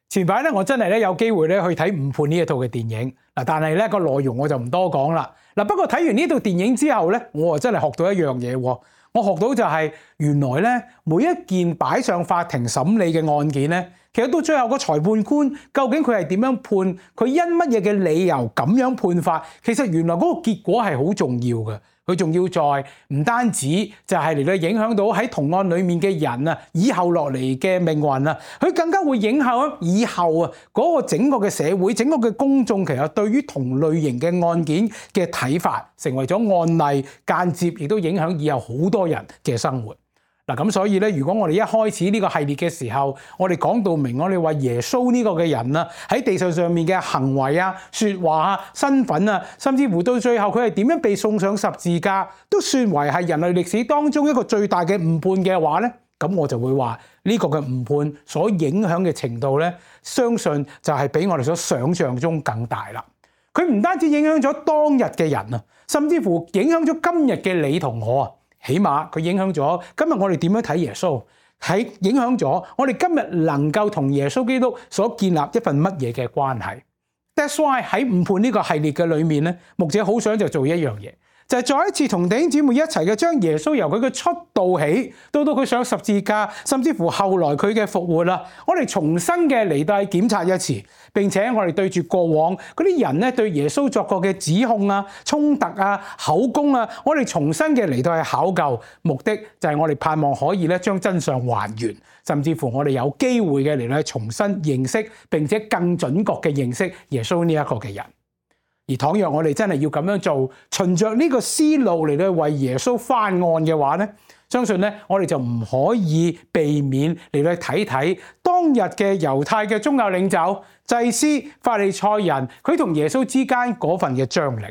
前排咧，我真係咧有機會咧去睇《誤判》呢一套嘅電影嗱，但係咧個內容我就唔多講啦嗱。不過睇完呢套電影之後咧，我啊真係學到一樣嘢喎。我學到就係原來咧每一件擺上法庭審理嘅案件咧，其實到最後個裁判官究竟佢係點樣判，佢因乜嘢嘅理由咁樣判法，其實原來嗰個結果係好重要嘅。佢仲要在唔單止就係嚟到影響到喺同案裡面嘅人啊，以後落嚟嘅命運啊，佢更加會影響以後啊嗰個整個嘅社會、整個嘅公眾其實對於同類型嘅案件嘅睇法，成為咗案例，間接亦都影響以後好多人嘅生活。嗱，咁所以咧，如果我哋一開始呢個系列嘅時候，我哋講到明，我哋話耶穌呢個嘅人啊，喺地上面嘅行為啊、説話啊、身份啊，甚至乎到最後佢係點樣被送上十字架，都算為係人類歷史當中一個最大嘅誤判嘅話咧，咁我就會話呢個嘅誤判所影響嘅程度咧，相信就係比我哋所想象中更大啦。佢唔單止影響咗當日嘅人啊，甚至乎影響咗今日嘅你同我啊。起碼佢影響咗今日我哋點樣睇耶穌，係影響咗我哋今日能夠同耶穌基督所建立一份乜嘢嘅關係。That's why 喺誤判呢個系列嘅裏面咧，牧者好想就做一樣嘢，就係再一次同弟兄姊妹一齊嘅將耶穌由佢嘅出道起，到佢上十字架，甚至乎後來佢嘅復活啦，我哋重新嘅嚟到檢查一次，並且我哋對住過往嗰啲人咧對耶穌作過嘅指控啊、衝突啊、口供啊，我哋重新嘅嚟到去考究，目的就係我哋盼望可以咧將真相還原，甚至乎我哋有機會嘅嚟到去重新認識，並且更準確嘅認識耶穌呢一個嘅人。而倘若我哋真係要咁樣做，循着呢個思路嚟到為耶穌翻案嘅話咧，相信咧我哋就唔可以避免嚟到睇睇當日嘅猶太嘅宗教領袖、祭司、法利賽人，佢同耶穌之間嗰份嘅張力。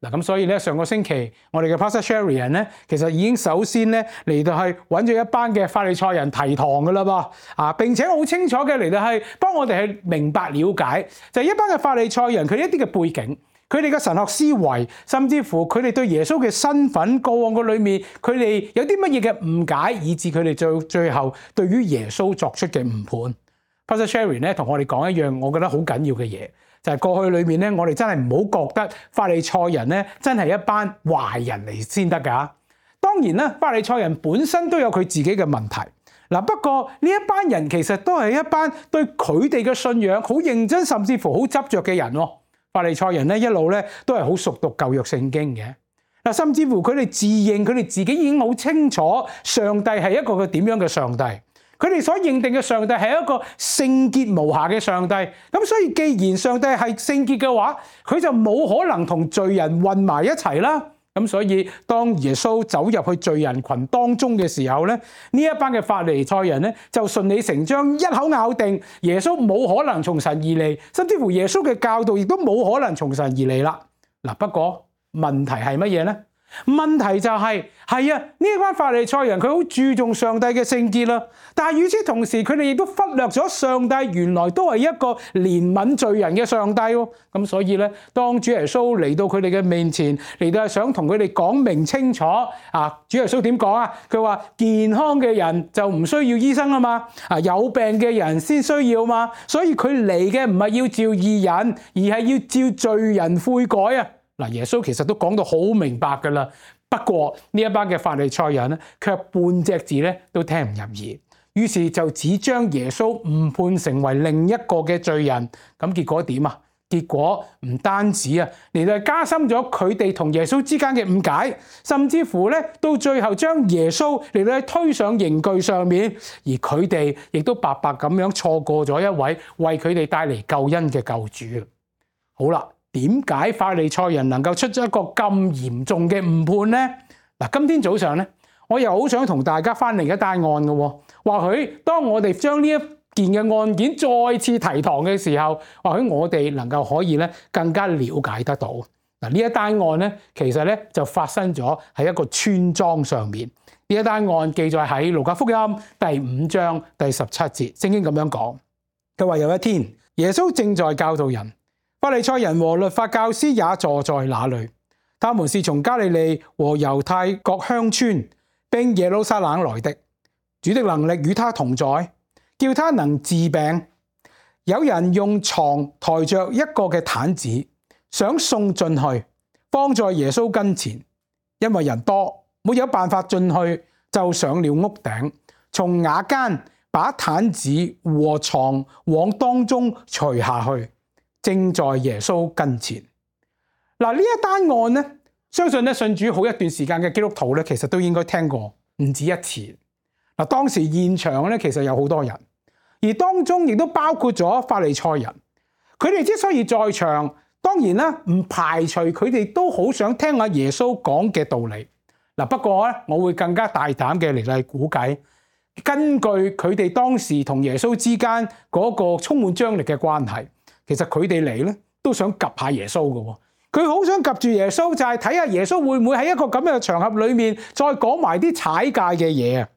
嗱，咁所以咧上個星期我哋嘅 Pastor Sherry 咧，其實已經首先咧嚟到去揾咗一班嘅法利賽人提堂噶啦噃，並且好清楚嘅嚟到係幫我哋去明白了解，就係一班嘅法利賽人佢一啲嘅背景。佢哋嘅神學思維，甚至乎佢哋對耶穌嘅身份過往嘅裏面，佢哋有啲乜嘢嘅誤解，以致佢哋最後對於耶穌作出嘅誤判。Pastor Sherry 咧同我哋講一樣，我覺得好緊要嘅嘢，就係過去裏面咧，我哋真係唔好覺得法利賽人咧真係一班壞人嚟先得㗎。當然啦，法利賽人本身都有佢自己嘅問題。嗱，不過呢一班人其實都係一班對佢哋嘅信仰好認真，甚至乎好執着嘅人喎。法利賽人咧一路咧都係好熟讀舊約聖經嘅，嗱，甚至乎佢哋自認佢哋自己已經好清楚上帝係一個嘅點樣嘅上帝，佢哋所認定嘅上帝係一個聖潔無瑕嘅上帝，咁所以既然上帝係聖潔嘅話，佢就冇可能同罪人混埋一齊啦。咁所以當耶穌走入去罪人群當中嘅時候咧，呢一班嘅法利賽人咧就順理成章一口咬定耶穌冇可能從神而嚟，甚至乎耶穌嘅教導亦都冇可能從神而嚟啦。嗱，不過問題係乜嘢咧？問題就係呢一班法利賽人佢好注重上帝嘅聖潔啦，但係與此同時佢哋亦都忽略咗上帝原來都係一個憐憫罪人嘅上帝喎。咁所以咧，當主耶穌嚟到佢哋嘅面前，嚟到係想同佢哋講明清楚主耶穌點講啊？佢話健康嘅人就唔需要醫生啊嘛，有病嘅人先需要嘛，所以佢嚟嘅唔係要召義人，而係要召罪人悔改啊。嗱，耶穌其實都講到好明白㗎啦，不過呢一班嘅法利賽人咧，卻半隻字咧都聽唔入耳，於是就只將耶穌誤判成為另一個嘅罪人。咁結果點啊？結果唔單止嚟到加深咗佢哋同耶穌之間嘅誤解，甚至乎咧到最後將耶穌嚟到推上刑具上面，而佢哋亦都白白咁樣錯過咗一位為佢哋帶嚟救恩嘅救主。好啦。點解法利賽人能夠出咗一個咁嚴重嘅誤判呢？嗱，今天早上咧，我又好想同大家翻另一單案嘅喎。或許當我哋將呢一件嘅案件再次提堂嘅時候，或許我哋能夠可以咧更加了解得到。嗱，呢一單案咧，其實咧就發生咗喺一個村莊上面。呢一單案記載喺路加福音第5章第17節，聖經咁樣講，佢話有一天，耶穌正在教導人。法利賽人和律法教師也坐在那裏，他們是從加利利和猶太各鄉村並耶路撒冷來的。主的能力與他同在，叫他能治病。有人用床抬着一個嘅毯子，想送進去，放在耶穌跟前。因為人多，沒有辦法進去，就上了屋頂，從瓦間把毯子和床往當中除下去，正在耶穌跟前。嗱，呢一單案呢，相信咧信主好一段時間嘅基督徒咧，其實都應該聽過唔止一次。嗱，當時現場咧其實有好多人，而當中亦都包括咗法利賽人。佢哋之所以在場，當然啦，唔排除佢哋都好想聽下耶穌講嘅道理。嗱，不過咧，我會更加大膽嘅嚟估計，根據佢哋當時同耶穌之間嗰個充滿張力嘅關係，其實佢哋嚟咧都想及下耶穌嘅。佢好想及住耶穌，就係睇下耶穌會唔會喺一個咁樣嘅場合裏面再講埋啲踩界嘅嘢啊！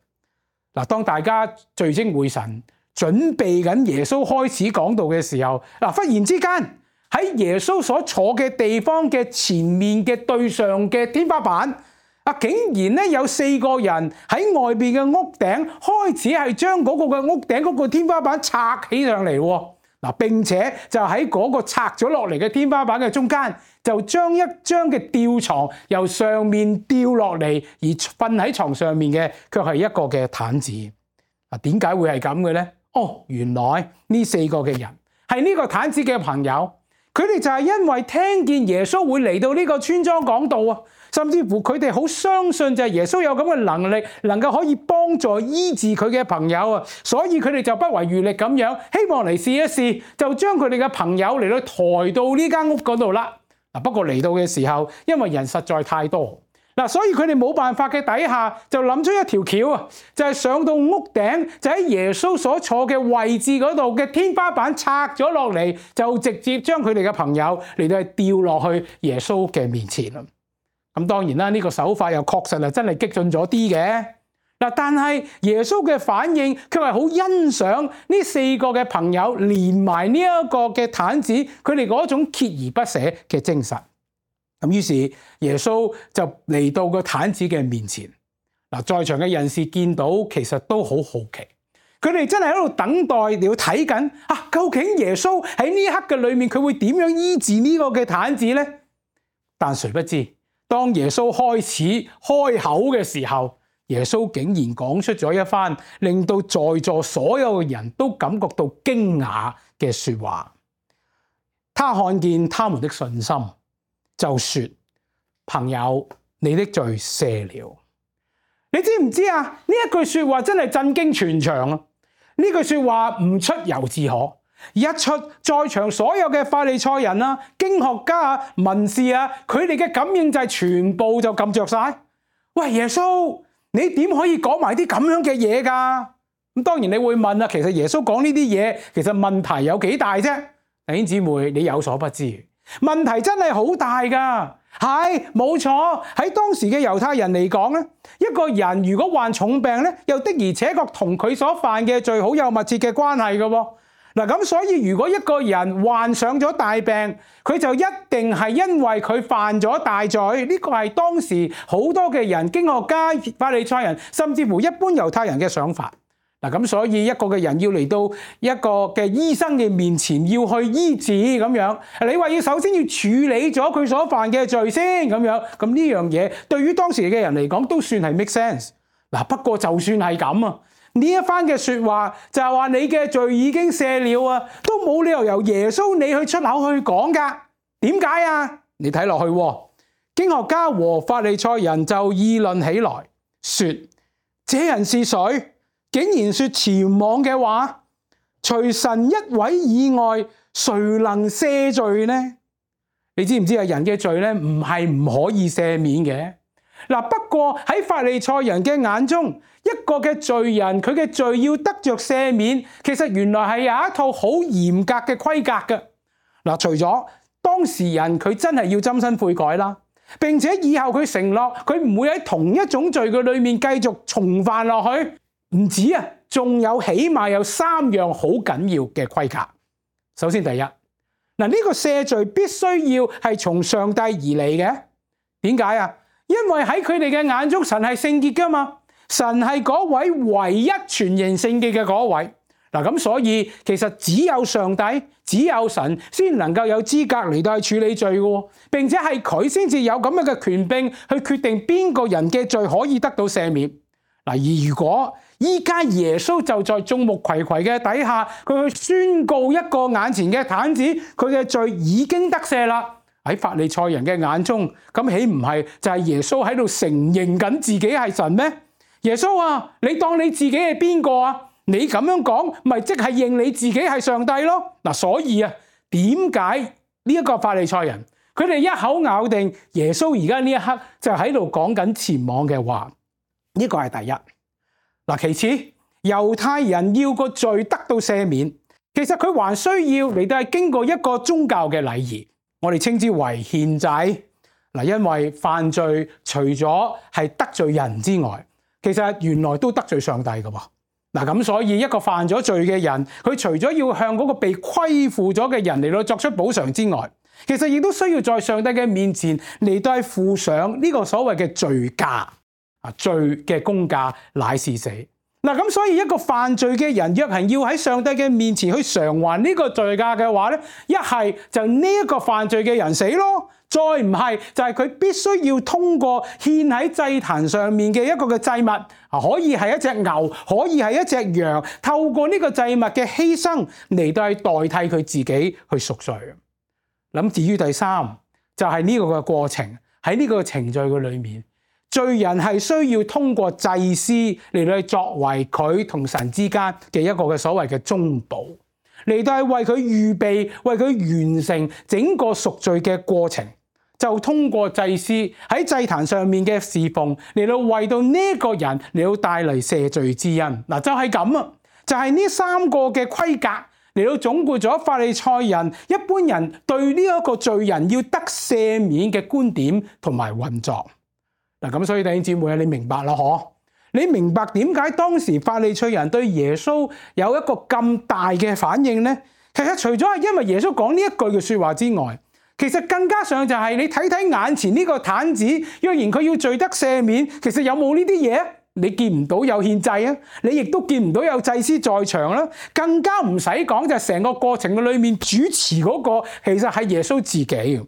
嗱，當大家聚精會神準備緊耶穌開始講道嘅時候，嗱，忽然之間喺耶穌所坐嘅地方嘅前面嘅對上嘅天花板，竟然咧有4個人喺外邊嘅屋頂開始係將嗰個嘅屋頂嗰個天花板拆起上嚟喎。嗱，並且就喺嗰個拆咗落嚟嘅天花板嘅中間，就將一張嘅吊床由上面吊落嚟，而瞓喺床上面嘅卻係一個嘅毯子。嗱，點解會係咁嘅咧？哦，原來呢4個嘅人係呢個毯子嘅朋友，佢哋就係因為聽見耶穌會嚟到呢個村莊講道啊，甚至乎佢哋好相信就係耶穌有咁嘅能力，能夠可以幫助醫治佢嘅朋友啊，所以佢哋就不遺餘力咁樣，希望嚟試一試，就將佢哋嘅朋友嚟到抬到呢間屋嗰度啦。嗱，不過嚟到嘅時候，因為人實在太多，嗱，所以佢哋冇辦法嘅底下，就諗出一條橋啊，就係上到屋頂，就喺耶穌所坐嘅位置嗰度嘅天花板拆咗落嚟，就直接將佢哋嘅朋友嚟到掉落去耶穌嘅面前啦。咁當然啦，呢個手法又確實係真係激進咗啲嘅。嗱，但係耶穌嘅反應卻係好欣賞呢4個嘅朋友連埋呢一個嘅毯子，佢哋嗰種鍥而不捨嘅精神。咁於是耶穌就嚟到個毯子嘅面前。嗱，在場嘅人士見到其實都好好奇，佢哋真係喺度等待，你要睇緊究竟耶穌喺呢一刻嘅裏面佢會點樣醫治呢個嘅毯子呢？但誰不知，當耶穌開始開口嘅時候，耶穌竟然講出咗一番令到在座所有嘅人都感覺到驚訝嘅說話。他看見他們的信心，就說：朋友，你的罪赦了。你知唔知啊？呢一句說話真係震驚全場啊！呢句說話唔出猶自可，一出在場所有嘅法利賽人啊、經學家啊、文士啊，佢哋嘅感應就係全部就撳着晒。喂，耶穌，你點可以講埋啲咁樣嘅嘢㗎？咁當然你會問啊，其實耶穌講呢啲嘢，其實問題有幾大啫？弟兄姊妹，你有所不知，問題真係好大㗎。係冇錯，喺當時嘅猶太人嚟講咧，一個人如果患重病咧，又的而且確同佢所犯嘅罪好有密切嘅關係嘅喎。嗱，咁所以如果一個人患上咗大病，佢就一定係因為佢犯咗大罪。呢個係當時好多嘅人、經學家、法利賽人，甚至乎一般猶太人嘅想法。嗱，咁所以一個嘅人要嚟到一個嘅醫生嘅面前，要去醫治咁樣，你話要首先要處理咗佢所犯嘅罪先咁樣，咁呢樣嘢對於當時嘅人嚟講都算係 make sense。嗱，不過就算係咁啊，呢一番嘅說話就係話你嘅罪已經赦了啊，都冇理由由耶穌你去出口去講噶。點解啊？你睇落去，經學家和法利賽人就議論起來，說：這人是誰？竟然說僭妄嘅話，除神一位以外，誰能赦罪呢？你知唔知啊？人嘅罪咧，唔係唔可以赦免嘅。嗱，不過喺法利賽人嘅眼中，一個嘅罪人佢嘅罪要得着赦免，其實原來係有一套好嚴格嘅規格嘅。嗱，除咗當事人佢真係要真心悔改啦，並且以後佢承諾佢唔會喺同一種罪嘅裏面繼續重犯落去。唔止啊，仲有起碼有3樣好緊要嘅規格。首先第一，呢個赦罪必須要係從上帝而嚟嘅。點解啊？因為喺佢哋嘅眼中，神係聖潔噶嘛，神係嗰位唯一全然聖潔嘅嗰位。嗱，咁所以其實只有上帝、只有神先能夠有資格嚟到去處理罪嘅，並且係佢先至有咁樣嘅權柄去決定邊個人嘅罪可以得到赦免。嗱，而如果依家耶穌就在眾目睽睽嘅底下，佢去宣告一個眼前嘅癱子，佢嘅罪已經得赦啦。喺法利賽人嘅眼中，咁豈唔係就係耶穌喺度承認緊自己係神咩？耶穌啊，你當你自己係邊個啊？你咁樣講，咪即係認你自己係上帝咯？嗱，所以啊，點解呢一個法利賽人佢哋一口咬定耶穌而家呢一刻就喺度講緊僭妄嘅話？呢個係第一。嗱，其次，猶太人要個罪得到赦免，其實佢還需要嚟到係經過一個宗教嘅禮儀，我哋稱之為獻祭。嗱，因為犯罪除咗係得罪人之外，其實原來都得罪上帝㗎喎。嗱，咁所以一個犯咗罪嘅人，佢除咗要向嗰個被虧負咗嘅人嚟到作出補償之外，其實亦都需要在上帝嘅面前嚟到付上呢個所謂嘅罪價。罪嘅工價乃是死。嗱，咁所以一個犯罪嘅人，若係要喺上帝嘅面前去償還呢個罪價嘅話咧，一係就呢一個犯罪嘅人死咯，再唔係就係佢必須要通過獻喺祭壇上面嘅一個嘅祭物，可以係一隻牛，可以係一隻羊，透過呢個祭物嘅犧牲嚟到去代替佢自己去贖罪。咁至於第三，就係呢個嘅過程，喺呢個程序嘅裏面，罪人係需要通過祭司嚟到作為佢同神之間嘅一個嘅所謂嘅中保，嚟到係為佢預備，為佢完成整個贖罪嘅過程，就通過祭司喺祭壇上面嘅侍奉嚟到為到呢個人嚟到帶嚟赦罪之恩。嗱，就係咁啊，就係呢三個嘅規格嚟到總括咗法利賽人一般人對呢一個罪人要得赦免嘅觀點同埋運作。嗱，咁所以弟兄姊妹，你明白啦嗬？你明白點解當時法利賽人對耶穌有一個咁大嘅反應呢？其實除咗係因為耶穌講呢一句嘅說話之外，其實更加上就係你睇睇眼前呢個癱子，若然佢要罪得赦免，其實有冇呢啲嘢？你見唔到有獻祭啊，你亦都見唔到有祭司在場啦，更加唔使講就係成個過程嘅裏面主持嗰個，其實係耶穌自己。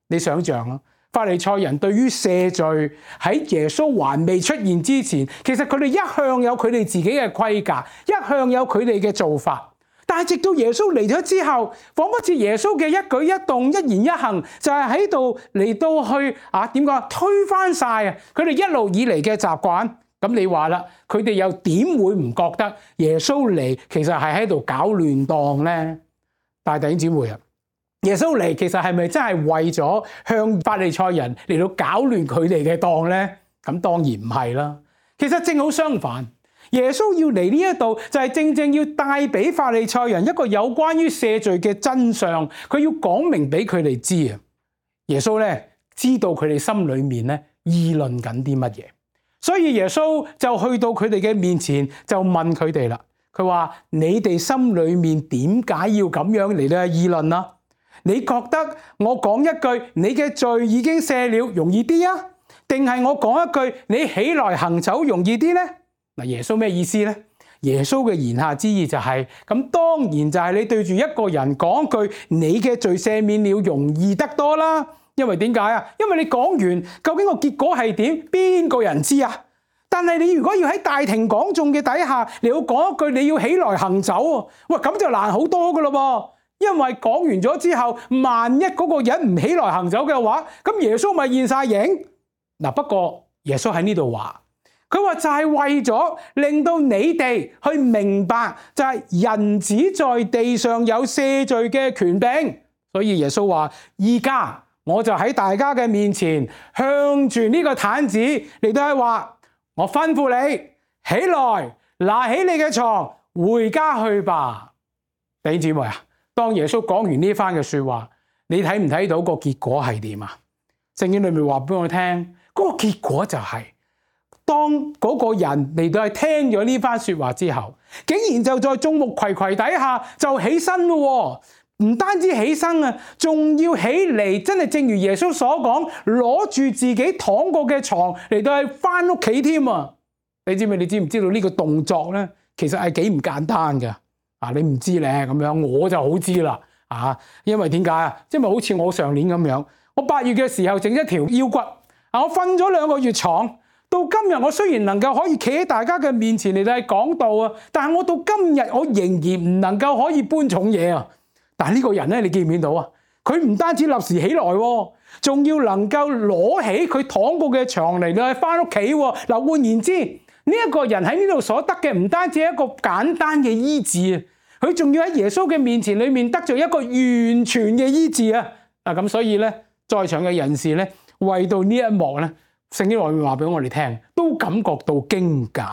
你想象啦。法利賽人對於赦罪喺耶穌還未出現之前，其實佢哋一向有佢哋自己嘅規格，一向有佢哋嘅做法。但係直到耶穌嚟咗之後，仿佛似耶穌嘅一舉一動、一言一行，就係喺度嚟到去推翻晒佢哋一路以嚟嘅習慣。咁你話啦，佢哋又點會唔覺得耶穌嚟其實係喺度搞亂檔呢？大弟兄姊妹啊！耶穌嚟其實係咪真係為咗向法利賽人嚟到搞亂佢哋嘅檔呢？咁當然唔係啦。其實正好相反，耶穌要嚟呢一度就係正正要帶俾法利賽人一個有關於赦罪嘅真相，佢要講明俾佢哋知啊。耶穌咧知道佢哋心裏面咧議論緊啲乜嘢，所以耶穌就去到佢哋嘅面前就問佢哋啦。佢話：你哋心裏面點解要咁樣嚟到議論啊？你覺得我講一句你嘅罪已經赦了容易啲啊？定係我講一句你起來行走容易啲呢？嗱，耶穌咩意思呢？耶穌嘅言下之意就係咁，當然就係你對住一個人講句你嘅罪赦免了容易得多啦。因為點解啊？因為你講完究竟個結果係點，邊個人知啊？但係你如果要喺大庭廣眾嘅底下你要講一句你要起來行走喎，喂，咁就難好多噶咯噃。因為講完咗之後，萬一嗰個人唔起來行走嘅話，咁耶穌咪現晒影。嗱，不過耶穌喺呢度話，佢話就係為咗令到你哋去明白，就係人子在地上有赦罪嘅權柄。所以耶穌話：而家我就喺大家嘅面前，向住呢個癱子嚟到係話，我吩咐你起來，拿起你嘅床，回家去吧。弟兄姊妹啊！當耶穌講完呢番嘅說話，你睇唔睇到個結果係點啊？聖經裏面話俾我聽，嗰個結果就係，當嗰個人嚟到係聽咗呢番說話之後，竟然就在眾目睽睽底下就起身咯，唔單止起身啊，仲要起嚟，真係正如耶穌所講，攞住自己躺過嘅床嚟到係翻屋企添啊！你知唔知道呢個動作咧，其實係幾唔簡單噶？你唔知咧咁樣，我就好知啦因為點解啊？因為好似我上年咁樣，我8月嘅時候整一條腰骨我瞓咗2個月床，到今日我雖然能夠可以企喺大家嘅面前嚟到講道啊，但係我到今日我仍然唔能夠可以搬重嘢啊！但係呢個人咧，你見唔見到啊？佢唔單止立時起來，仲要能夠攞起佢躺過嘅床嚟到翻屋企。嗱，換言之，呢一個人喺呢度所得嘅唔單止係一個簡單嘅醫治，佢仲要喺耶穌嘅面前裏面得咗一個完全嘅醫治啊！咁所以咧，在場嘅人士咧，為到呢一幕咧，聖經裏面話俾我哋聽，都感覺到驚訝，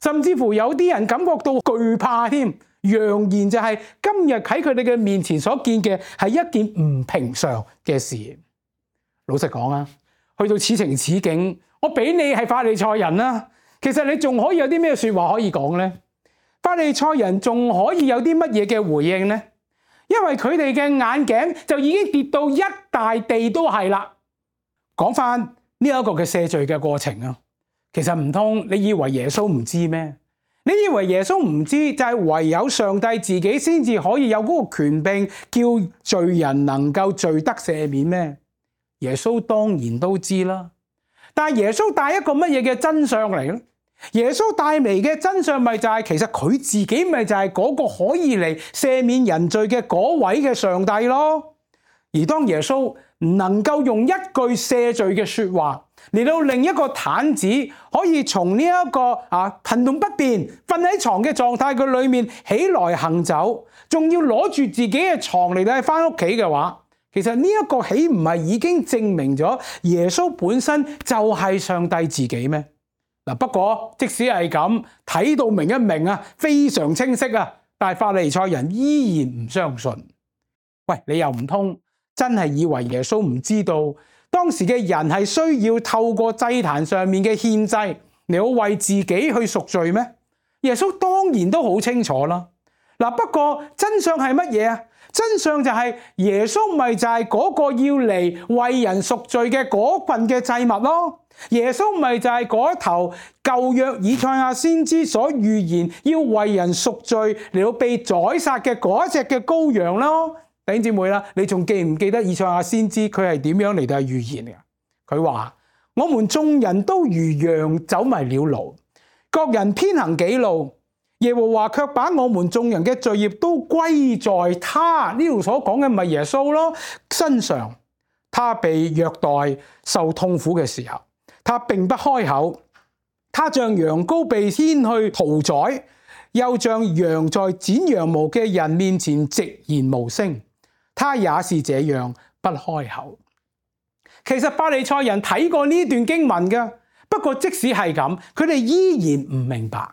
甚至乎有啲人感覺到懼怕添。揚言就係今日喺佢哋嘅面前所見嘅係一件唔平常嘅事。老實講啊，去到此情此景，我俾你係法利賽人啦，其實你仲可以有啲咩說話可以講呢？法利賽人仲可以有啲乜嘢嘅回應呢？因為佢哋嘅眼鏡就已經跌到一大地都係啦。講翻呢一個嘅赦罪嘅過程啊，其實唔通你以為耶穌唔知咩？你以為耶穌唔知，就係唯有上帝自己先至可以有嗰個權柄，叫罪人能夠罪得赦免咩？耶穌當然都知啦。但係耶穌帶一個乜嘢嘅真相嚟咧？耶穌帶嚟嘅真相咪就係，其實佢自己咪就係嗰個可以嚟赦免人罪嘅嗰位嘅上帝咯。而當耶穌唔能夠用一句赦罪嘅說話嚟到令一個癱子可以從呢一個行動不便瞓喺床嘅狀態嘅裏面起來行走，仲要攞住自己嘅床嚟到翻屋企嘅話，其實呢一個豈唔係已經證明咗耶穌本身就係上帝自己咩？不過即使係咁睇到明一明啊，非常清晰啊，但係法利賽人依然唔相信。喂，你又唔通真係以為耶穌唔知道當時嘅人係需要透過祭壇上面嘅獻祭嚟好為自己去贖罪咩？耶穌當然都好清楚啦。不過真相係乜嘢啊？真相就係耶穌咪就係嗰個要嚟為人贖罪嘅嗰份嘅祭物咯。耶穌咪就係嗰頭舊約以賽亞先知所預言要為人贖罪嚟到被宰殺嘅嗰隻嘅羔羊咯。弟兄姊妹啦，你仲記唔記得以賽亞先知佢係點樣嚟到預言嘅？佢話：我們眾人都如羊走迷了路，各人偏行己路，耶和華卻把我們眾人嘅罪孽都歸在他呢度所講嘅咪耶穌咯身上。他被虐待受痛苦嘅時候，他並不開口，他像羊羔被牽去屠宰，又像羊在剪羊毛嘅人面前寂然無聲。他也是這樣不開口。其實法利賽人睇過呢段經文嘅，不過即使係咁，佢哋依然唔明白。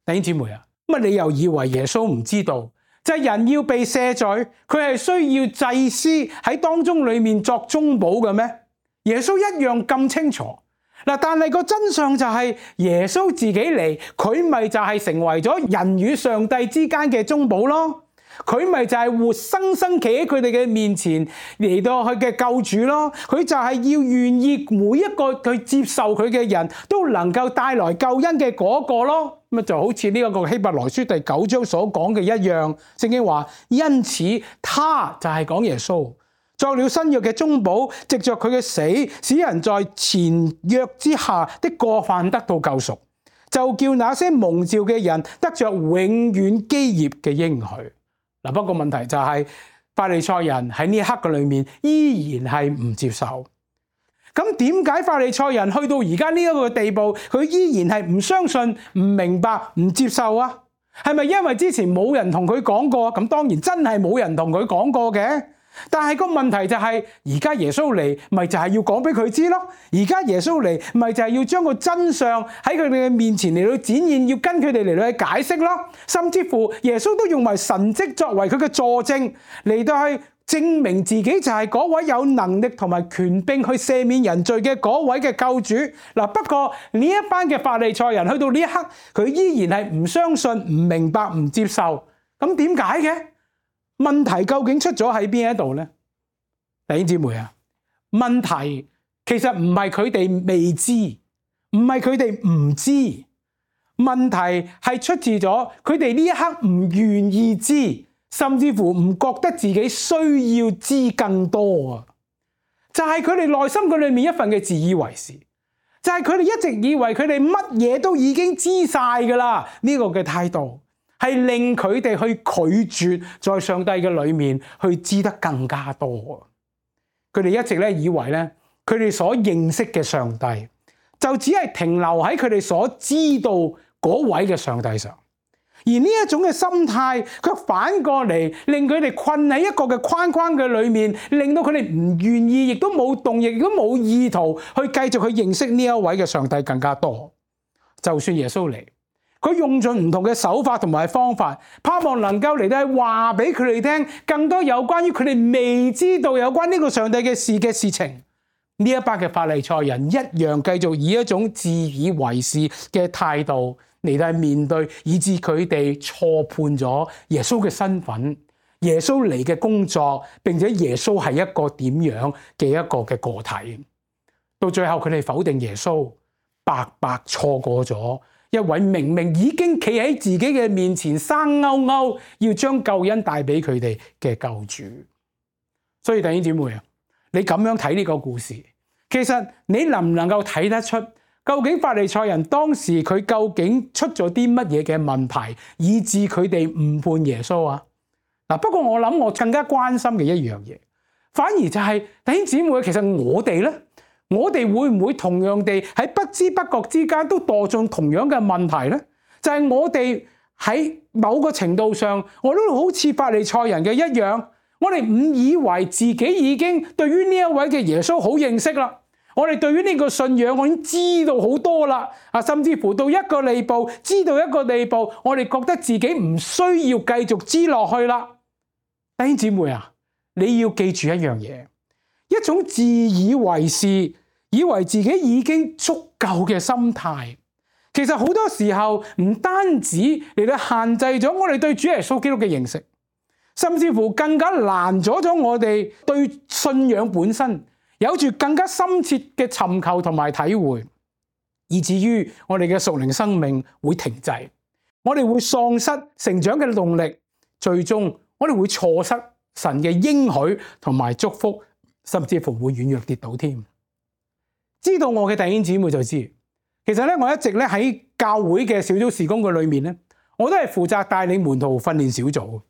弟兄姊妹啊，乜你又以為耶穌唔知道？就係人要被赦罪，佢係需要祭司喺當中裏面作中保嘅咩？耶穌一樣咁清楚。但係個真相就係耶穌自己嚟，佢咪就係成為咗人與上帝之間嘅中保咯。佢咪就係活生生企喺佢哋嘅面前嚟到佢嘅救主咯。佢就係要願意每一個去接受佢嘅人都能夠帶來救恩嘅嗰個咯。咁就好似呢一個希伯來書第9章所講嘅一樣，聖經話因此他就係講耶穌作了新約嘅中保，藉着佢嘅死，使人在前約之下的過犯得到救贖，就叫那些蒙召嘅人得着永遠基業嘅應許。不過問題就係法利賽人喺呢一刻嘅裏面依然係唔接受。咁點解法利賽人去到而家呢一個地步，佢依然係唔相信、唔明白、唔接受啊？係咪因為之前冇人同佢講過？咁當然真係冇人同佢講過嘅。但係個問題就係，而家耶穌嚟，咪就係要講俾佢知咯。而家耶穌嚟，咪就係要將個真相喺佢哋嘅面前嚟到展現，要跟佢哋嚟到去解釋咯。甚至乎耶穌都用埋神蹟作為佢嘅佐證，嚟到去證明自己就係嗰位有能力同埋權柄去赦免人罪嘅嗰位嘅救主。不過呢一班嘅法利賽人去到呢一刻，佢依然係唔相信、唔明白、唔接受。咁點解嘅？問題究竟出咗喺邊一度呢？弟兄姊妹啊，問題其實唔係佢哋未知，唔係佢哋唔知，問題係出自咗佢哋呢一刻唔願意知，甚至乎唔覺得自己需要知更多啊！就係佢哋內心嘅裏面一份嘅自以為是，就係佢哋一直以為佢哋乜嘢都已經知晒噶啦，呢個嘅態度係令佢哋去拒絕在上帝嘅裏面去知得更加多。佢哋一直以為佢哋所認識嘅上帝就只係停留喺佢哋所知道嗰位嘅上帝上，而呢一種嘅心態卻反過嚟令佢哋困喺一個嘅框框嘅裏面，令到佢哋唔願意，亦都冇動力，亦都冇意圖去繼續去認識呢一位嘅上帝更加多。就算耶穌嚟，佢用盡唔同嘅手法同埋方法，盼望能夠嚟到話俾佢哋聽更多有關於佢哋未知道有關呢個上帝嘅事情。呢一班嘅法利賽人一樣繼續以一種自以為是嘅態度嚟到面對，以致佢哋錯判咗耶穌嘅身份、耶穌嚟嘅工作，並且耶穌係一個點樣嘅一個嘅個體。到最後佢哋否定耶穌，白白錯過咗一位明明已經企喺自己嘅面前生勾勾，要將救恩帶俾佢哋嘅救主。所以弟兄姊妹啊，你咁樣睇呢個故事，其實你能唔能夠睇得出究竟法利賽人當時佢究竟出咗啲乜嘢嘅問題，以致佢哋誤判耶穌啊？不過我諗我更加關心嘅一樣嘢，反而就係弟兄姊妹，其實我哋呢，我哋會唔會同樣地喺不知不覺之間都墮進同樣嘅問題呢？就係我哋喺某個程度上，我都好似法利賽人嘅一樣，我哋誤以為自己已經對於呢一位嘅耶穌好認識啦，我哋對於呢個信仰我已經知道好多啦，甚至乎到一個地步，知道一個地步，我哋覺得自己唔需要繼續知落去啦。弟兄姊妹啊，你要記住一樣嘢，一種自以為是，以為自己已經足夠嘅心態，其實好多時候唔單止嚟到限制咗我哋對主耶穌基督嘅認識，甚至乎更加攔阻咗我哋對信仰本身有住更加深切嘅尋求同埋體會，以至於我哋嘅屬靈生命會停滯，我哋會喪失成長嘅動力，最終我哋會錯失神嘅應許同埋祝福，甚至乎會軟弱跌倒添。知道我嘅弟兄姊妹就知，其實我一直喺教會嘅小組事工嘅裏面我都係負責帶領門徒訓練小組。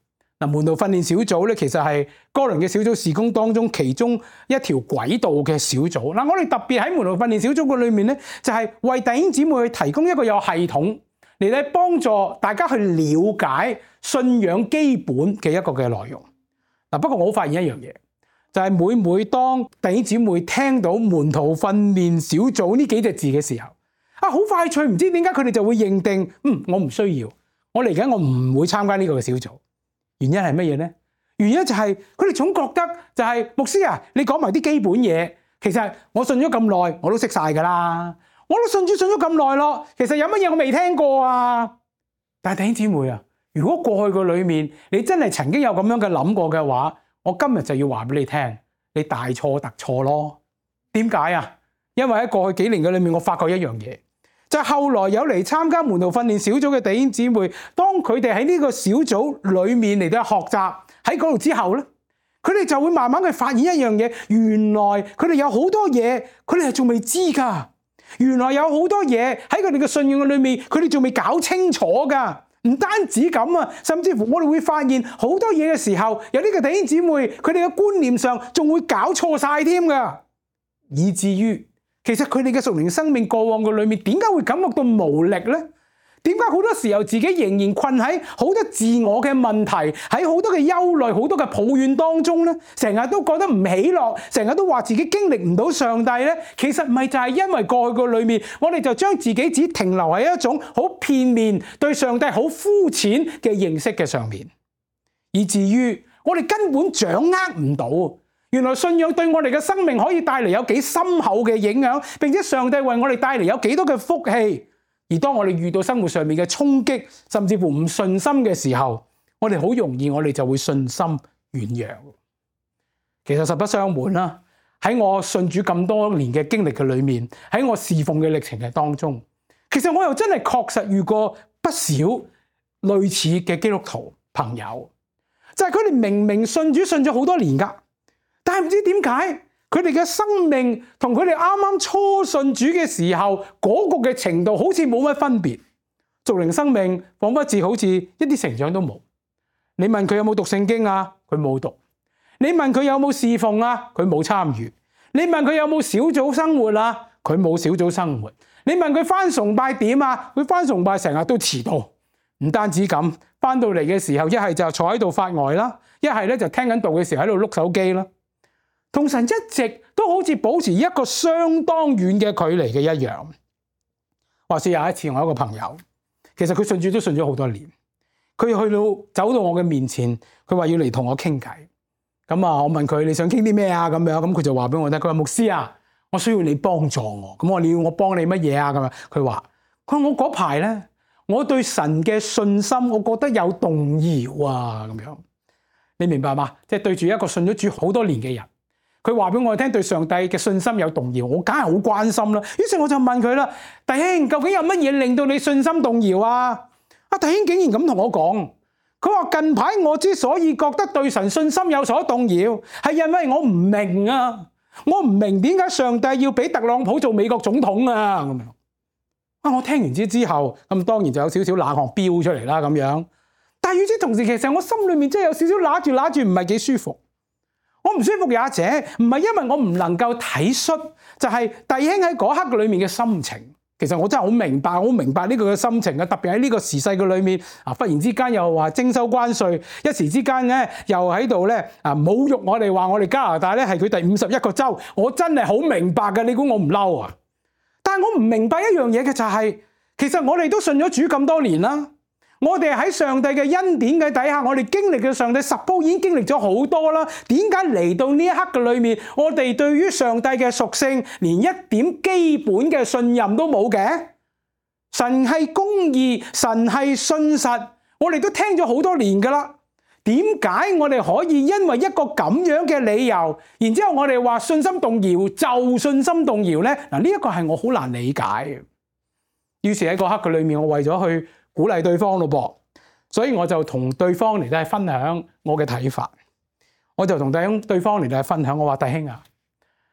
門徒訓練小組其實係哥倫嘅小組事工當中其中一條軌道嘅小組。我哋特別喺門徒訓練小組嘅裏面就係為弟兄姊妹去提供一個有系統嚟幫助大家去了解信仰基本嘅一個嘅內容。不過我發現一樣嘢，就係每當弟兄姊妹聽到門徒訓練小組呢幾隻字嘅時候，好快脆，唔知點解佢哋就會認定，我唔需要，我嚟緊我唔會參加呢個嘅小組。原因係乜嘢呢？原因就係佢哋總覺得就係牧師啊，你講埋啲基本嘢，其實我信咗咁耐，我都識晒噶啦，我都信咗咁耐咯。其實有乜嘢我未聽過啊？但係弟兄姊妹啊，如果過去個裏面你真係曾經有咁樣嘅諗過嘅話，我今日就要話俾你聽，你大錯特錯咯。點解啊？因為喺過去幾年嘅裏面，我發覺一樣嘢。就係後來有嚟參加門徒訓練小組嘅弟兄姊妹，當佢哋喺呢個小組裏面嚟到學習喺嗰度之後咧，佢哋就會慢慢去發現一樣嘢，原來佢哋有好多嘢，佢哋係仲未知噶。原來有好多嘢喺佢哋嘅信仰嘅裏面，佢哋仲未搞清楚噶。唔單止咁啊，甚至乎我哋會發現好多嘢嘅時候，有呢個弟兄姊妹，佢哋嘅觀念上仲會搞錯晒添噶，以至於其實佢哋嘅屬靈生命過往嘅裏面，點解會感覺到無力呢？點解好多時候自己仍然困喺好多自我嘅問題，喺好多嘅憂慮、好多嘅抱怨當中呢？成日都覺得唔喜樂，成日都話自己經歷唔到上帝呢？其實唔係就係因為過去嘅裏面，我哋就將自己只停留喺一種好片面、對上帝好膚淺嘅認識嘅上面，以至於我哋根本掌握唔到。原來信仰對我哋嘅生命可以帶嚟有幾深厚嘅影響，並且上帝為我哋帶嚟有幾多嘅福氣。而當我哋遇到生活上面嘅衝擊，甚至乎唔信心嘅時候，我哋好容易我哋就會信心軟弱。其實實不相瞞啦，喺我信主咁多年嘅經歷嘅裏面，喺我侍奉嘅歷程嘅當中，其實我又真係確實遇過不少類似嘅基督徒朋友，就係佢哋明明信主信咗好多年㗎，但係唔知點解佢哋嘅生命同佢哋啱啱初信主嘅時候嗰個嘅程度好似冇乜分別，屬靈生命彷彿似好似一啲成長都冇。你問佢有冇讀聖經啊？佢冇讀。你問佢有冇侍奉啊？佢冇參與。你問佢有冇小組生活啊？佢冇小組生活。你問佢返崇拜點啊？佢返崇拜成日都遲到。唔單止咁，返到嚟嘅時候一係就坐喺度發呆啦，一係咧就聽緊道嘅時候喺度碌手機啦。同神一直都好似保持一個相當遠嘅距離嘅一樣。話說有一次我一個朋友，其實佢信主都信咗好多年，佢走到我嘅面前，佢話要嚟同我傾偈。咁啊，我問佢你想傾啲咩啊？咁樣，咁佢就話俾我聽，佢話牧師啊，我需要你幫助我。咁我你要我幫你乜嘢啊？咁樣，佢話我嗰排咧，我對神嘅信心，我覺得有動搖啊。咁樣，你明白嗎？即係對住一個信咗主好多年嘅人，佢話俾我聽對上帝嘅信心有動搖，我梗係好關心啦。於是我就問佢啦，弟兄，究竟有乜嘢令到你信心動搖啊？阿弟兄竟然咁同我講。佢話近排我之所以覺得對神信心有所動搖，係因為我唔明啊，我唔明點解上帝要俾特朗普做美國總統啊咁樣。我聽完之後，咁當然就有少少冷汗飆出嚟啦咁樣。但係與此同時，其實我心裏面真係有少少揦住唔係幾舒服。我唔舒服也者，唔係因為我唔能夠體恤，就係弟兄喺嗰刻裏面嘅心情。其實我真係好明白呢個嘅心情啊！特別喺呢個時勢嘅裏面，忽然之間又話徵收關稅，一時之間咧又喺度咧侮辱我哋，話我哋加拿大咧係佢第51個州，我真係好明白嘅。你估我唔嬲啊？但係我唔明白一樣嘢嘅就係，其實我哋都信咗主咁多年啦，我哋喺上帝嘅恩典嘅底下，我哋經歷嘅上帝十鋪已經經歷咗好多啦。點解嚟到呢一刻嘅裏面，我哋對於上帝嘅屬性連一點基本嘅信任都冇嘅？神係公義，神係信實，我哋都聽咗好多年噶啦。點解我哋可以因為一個咁樣嘅理由，然之後我哋話信心動搖就信心動搖呢？嗱，呢一個係我好難理解嘅。於是喺嗰刻嘅裏面，我為咗去鼓勵對方咯噃，所以我就同對方嚟到分享我嘅睇法。我就同對方嚟到分享，我話弟兄啊，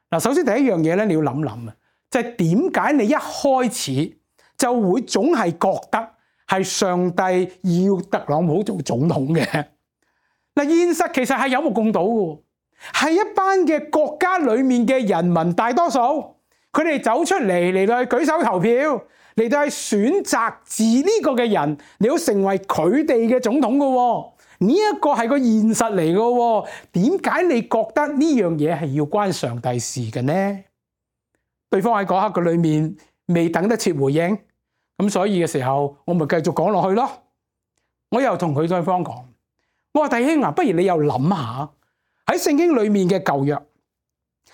嗱，首先第一樣嘢咧，你要諗諗啊，就係點解你一開始就會總係覺得係上帝要特朗普做總統嘅？嗱，現實其實係有目共睹嘅，係一班嘅國家裏面嘅人民大多數，佢哋走出嚟到去舉手投票，嚟到去選擇自呢個嘅人，你要成為佢哋嘅總統嘅，呢一個係個現實嚟嘅。點解你覺得呢樣嘢係要關上帝事嘅呢？對方喺嗰刻嘅裏面未等得切回應，咁所以嘅時候，我咪繼續講落去咯。我又同佢對方講，我話弟兄啊，不如你又諗下喺聖經裏面嘅舊約，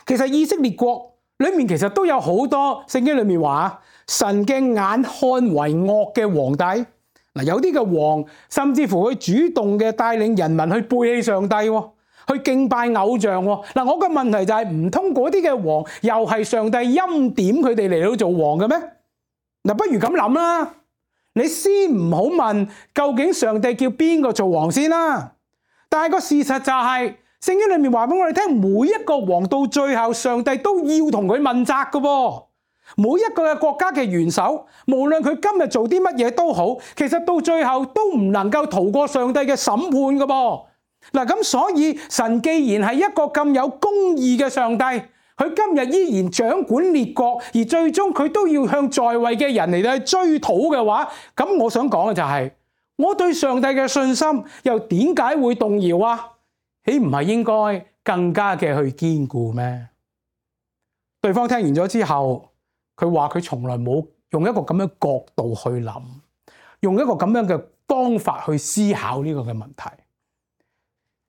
其實以色列國裏面其實都有好多聖經裏面話神嘅眼看為惡嘅皇帝。嗱，有啲嘅王甚至乎佢主動嘅帶領人民去背棄上帝，去敬拜偶像。嗱，我嘅問題就係唔通嗰啲嘅王又係上帝欽點佢哋嚟到做王嘅咩？嗱，不如咁諗啦，你先唔好問究竟上帝叫邊個做王先啦。但係個事實就係聖經裏面話俾我哋聽，每一個王到最後上帝都要同佢問責嘅噃。每一個嘅國家嘅元首，無論佢今日做啲乜嘢都好，其實到最後都唔能夠逃過上帝嘅審判嘅噃。嗱，咁所以神既然係一個咁有公義嘅上帝，佢今日依然掌管列國，而最終佢都要向在位嘅人嚟到去追討嘅話，咁我想講嘅就係，我對上帝嘅信心又點解會動搖啊？豈唔係應該更加嘅去堅固咩？對方聽完咗之後，佢話佢從來冇用一個咁樣角度去諗，用一個咁樣嘅方法去思考呢個嘅問題。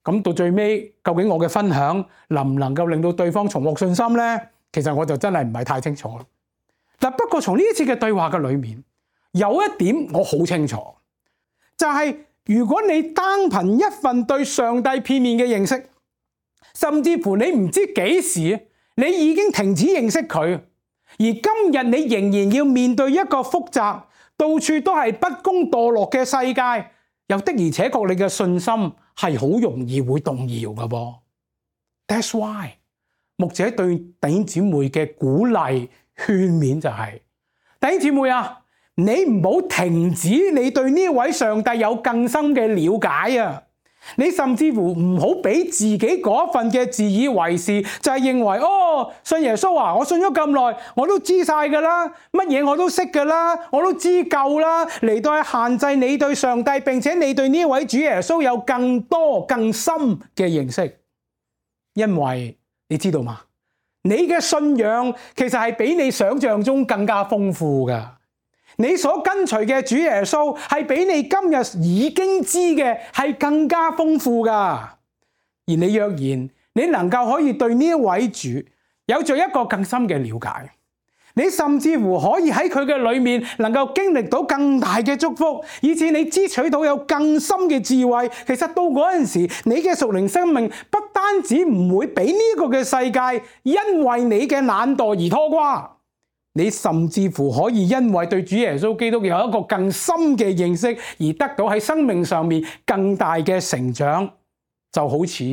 咁到最尾，究竟我嘅分享能唔能夠令到對方重獲信心呢？其實我就真係唔係太清楚。嗱，不過從呢一次嘅對話嘅裏面，有一點我好清楚，就係如果你單憑一份對上帝片面嘅認識，甚至乎你唔知幾時你已經停止認識佢，而今日你仍然要面對一個複雜、到處都係不公墮落嘅世界，又的而且確你嘅信心係好容易會動搖㗎噃。That's why 牧者對弟兄姊妹嘅鼓勵勸勉就係：弟兄姊妹啊，你唔好停止你對呢位上帝有更深嘅了解啊！你甚至乎唔好俾自己嗰份嘅自以為是，就係認為信耶穌啊，我信咗咁耐，我都知晒㗎啦，乜嘢我都識㗎啦，我都知夠啦，嚟到去限制你對上帝，並且你對呢位主耶穌有更多更深嘅認識。因為你知道嗎？你嘅信仰其實係比你想象中更加豐富㗎。你所跟隨嘅主耶穌係比你今日已經知嘅係更加豐富㗎。而你若然你能夠可以對呢一位主有著一個更深嘅了解，你甚至乎可以喺佢嘅裏面能夠經歷到更大嘅祝福，以致你支取到有更深嘅智慧。其實到嗰陣時，你嘅屬靈生命不單止唔會俾呢個嘅世界因為你嘅懶惰而拖垮，你甚至乎可以因為對主耶穌基督有一個更深嘅認識，而得到喺生命上面更大嘅成長，就好似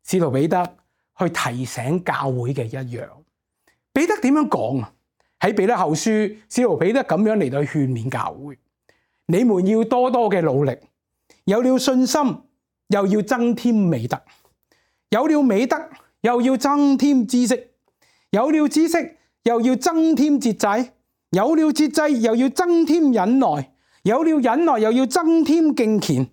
使徒彼得去提醒教會嘅一樣。彼得點樣講啊？喺彼得後書，使徒彼得咁樣嚟到勸勉教會：你們要多多嘅努力，有了信心，又要增添美德；有了美德，又要增添知識；有了知識，又要增添節制；有了節制，又要增添忍耐；有了忍耐，又要增添敬虔；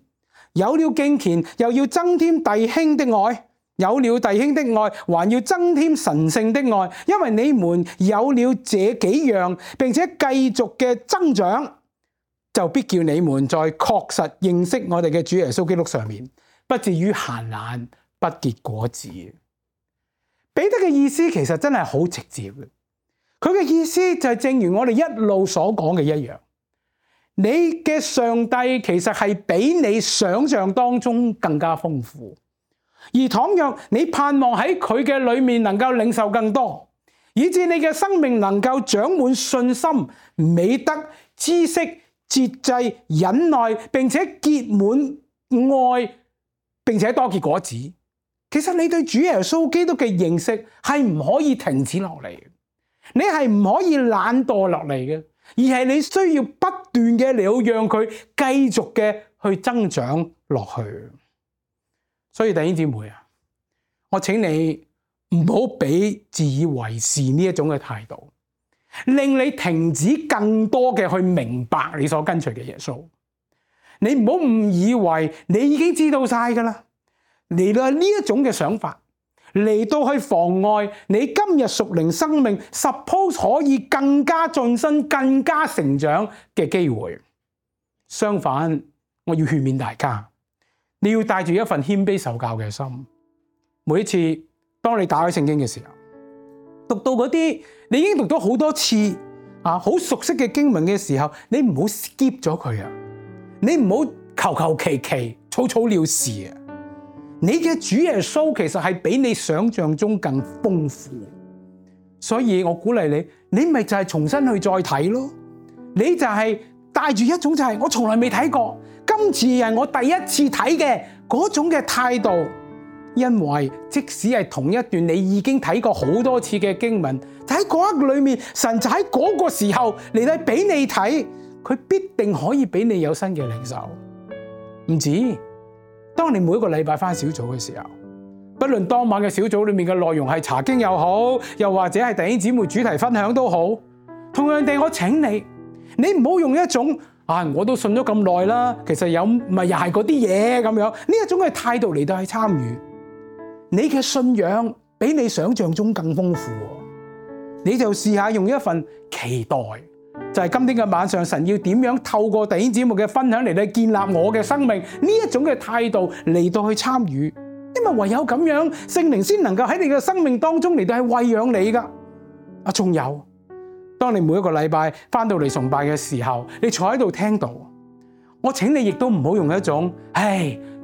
有了敬虔，又要增添弟兄的愛；有了弟兄的愛，還要增添神聖的愛。因為你們有了這幾樣，並且繼續嘅增長，就必叫你們在確實認識我哋嘅主耶穌基督上面，不至於閒懶，不結果子。彼得嘅意思其實真係好直接嘅。佢嘅意思就係正如我哋一路所講嘅一樣，你嘅上帝其實係比你想象當中更加豐富，而倘若你盼望喺佢嘅裏面能夠領受更多，以致你嘅生命能夠長滿信心、美德、知識、節制、忍耐，並且結滿愛，並且多結果子，其實你對主耶穌基督嘅認識係唔可以停止落嚟嘅。你係唔可以懶惰落嚟嘅，而係你需要不斷嘅嚟到讓佢繼續嘅去增長落去。所以弟兄姊妹啊，我請你唔好俾自以為是呢一種嘅態度，令你停止更多嘅去明白你所跟隨嘅耶穌。你唔好誤以為你已經知道晒㗎啦，嚟到呢一種嘅想法，嚟到去妨礙你今日屬靈生命 suppose 可以更加晉身、更加成長嘅機會。相反，我要勸勉大家，你要帶住一份謙卑受教嘅心。每一次當你打開聖經嘅時候，讀到嗰啲你已經讀咗好多次好熟悉嘅經文嘅時候，你唔好 skip 咗佢啊！你唔好求求其其、草草了事啊！你嘅主耶穌其實係比你想象中更豐富，所以我鼓勵你，你咪就係重新去再睇咯。你就係帶住一種就係我從來未睇過，今次係我第一次睇嘅嗰種嘅態度。因為即使係同一段你已經睇過好多次嘅經文，就喺嗰一刻裏面，神就喺嗰個時候嚟到俾你睇，佢必定可以俾你有新嘅領受。唔止。當你每一個禮拜返小組嘅時候，不論當晚嘅小組裏面嘅內容係查經又好，又或者係弟兄姊妹主題分享都好，同樣地我請你，你唔好用一種我都信咗咁耐啦，其實有咪又係嗰啲嘢咁樣呢一種嘅態度嚟到去參與。你嘅信仰比你想象中更豐富，你就試下用一份期待。就係今天嘅晚上，神要點樣透過弟兄姊妹嘅分享嚟到建立我嘅生命呢一種嘅態度嚟到去參與，因為唯有咁樣，聖靈先能夠喺你嘅生命當中嚟到去餵養你噶。仲有，當你每一個禮拜翻到嚟崇拜嘅時候，你坐喺度聽到，我請你亦都唔好用一種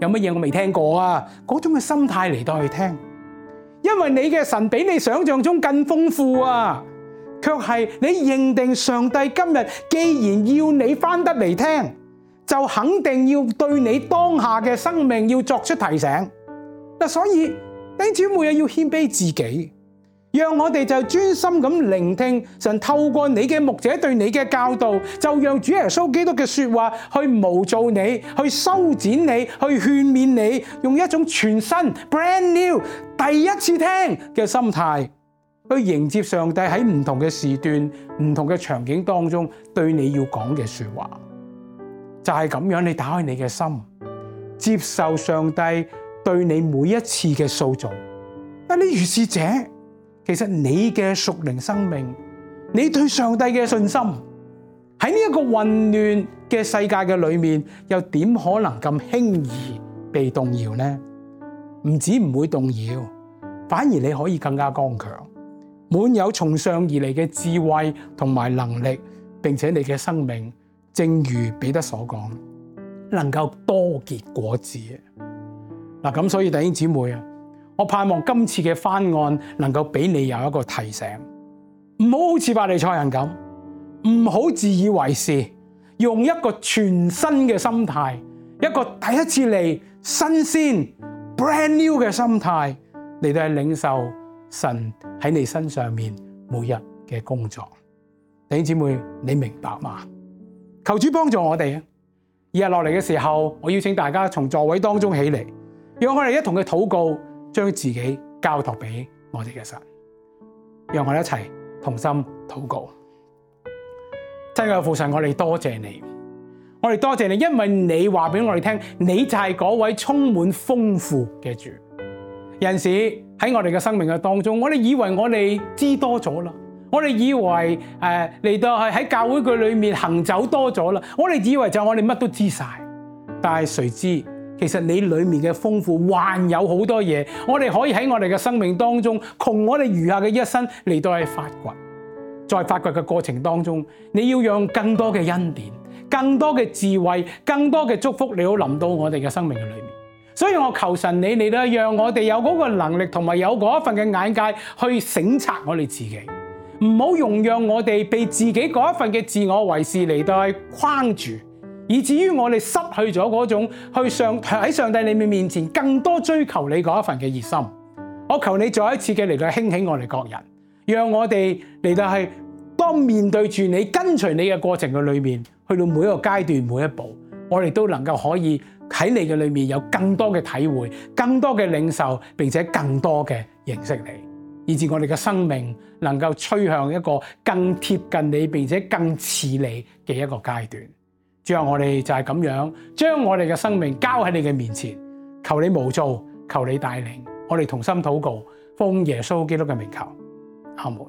有乜嘢我未聽過啊嗰種嘅心態嚟到去聽，因為你嘅神比你想象中更豐富啊！卻係你認定上帝今日既然要你翻得嚟聽，就肯定要對你當下嘅生命要作出提醒。所以弟兄姊妹要謙卑自己，讓我哋就專心咁聆聽神透過你嘅牧者對你嘅教導，就讓主耶穌基督嘅說話去模造你，去修剪你，去勸勉你，用一種全新 brand new 第一次聽嘅心態去迎接上帝喺唔同嘅時段、唔同嘅場景當中對你要講嘅說話。就係咁樣，你打開你嘅心，接受上帝對你每一次嘅塑造。但你如是者，其實你嘅屬靈生命，你對上帝嘅信心喺呢一個混亂嘅世界嘅裏面，又點可能咁輕易被動搖呢？唔止唔會動搖，反而你可以更加剛強，滿有從上而嚟嘅智慧同埋能力，並且你嘅生命正如彼得所講，能夠多結果子。嗱，咁所以弟兄姊妹啊，我盼望今次嘅翻案能夠俾你有一個提醒，唔好似法利賽人咁，唔好自以為是，用一個全新嘅心態，一個第一次嚟新鮮 brand new 嘅心態嚟到去領受神喺你身上面每日嘅工作。弟兄姊妹，你明白嗎？求主幫助我哋啊！日落嚟嘅時候，我邀請大家從座位當中起嚟，讓我哋一同嘅禱告，將自己交託俾我哋嘅神。讓我哋一齊同心禱告。親愛嘅父神，我哋多謝你，我哋多謝你，因為你話俾我哋聽，你就係嗰位充滿豐富嘅主。有陣時喺我哋嘅生命嘅當中，我哋以為我哋知多咗啦。我哋以為嚟到係喺教會嘅裏面行走多咗啦，我哋以為就我哋乜都知晒，但係誰知其實你裏面嘅豐富還有好多嘢，我哋可以喺我哋嘅生命當中，窮我哋餘下嘅一生嚟到去發掘。在發掘嘅過程當中，你要讓更多嘅恩典、更多嘅智慧、更多嘅祝福，你要臨到我哋嘅生命嘅裏面。所以我求神你嚟到讓我哋有嗰個能力同埋有嗰一份嘅眼界去省察我哋自己。唔好容讓我哋被自己嗰一份嘅自我為是嚟到去框住，以至於我哋失去咗嗰種喺上帝你面前更多追求你嗰一份嘅熱心。我求你再一次嘅嚟到興起我哋各人，讓我哋嚟到係當面對住你跟隨你嘅過程嘅裏面，去到每一個階段每一步，我哋都能夠可以喺你嘅裏面有更多嘅體會、更多嘅領受，並且更多嘅認識你。以致我哋嘅生命能夠趨向一個更貼近你並且更似你嘅一個階段。主啊，我哋就係咁樣將我哋嘅生命交喺你嘅面前，求你模造，求你帶領，我哋同心禱告，奉耶穌基督嘅名求，阿門。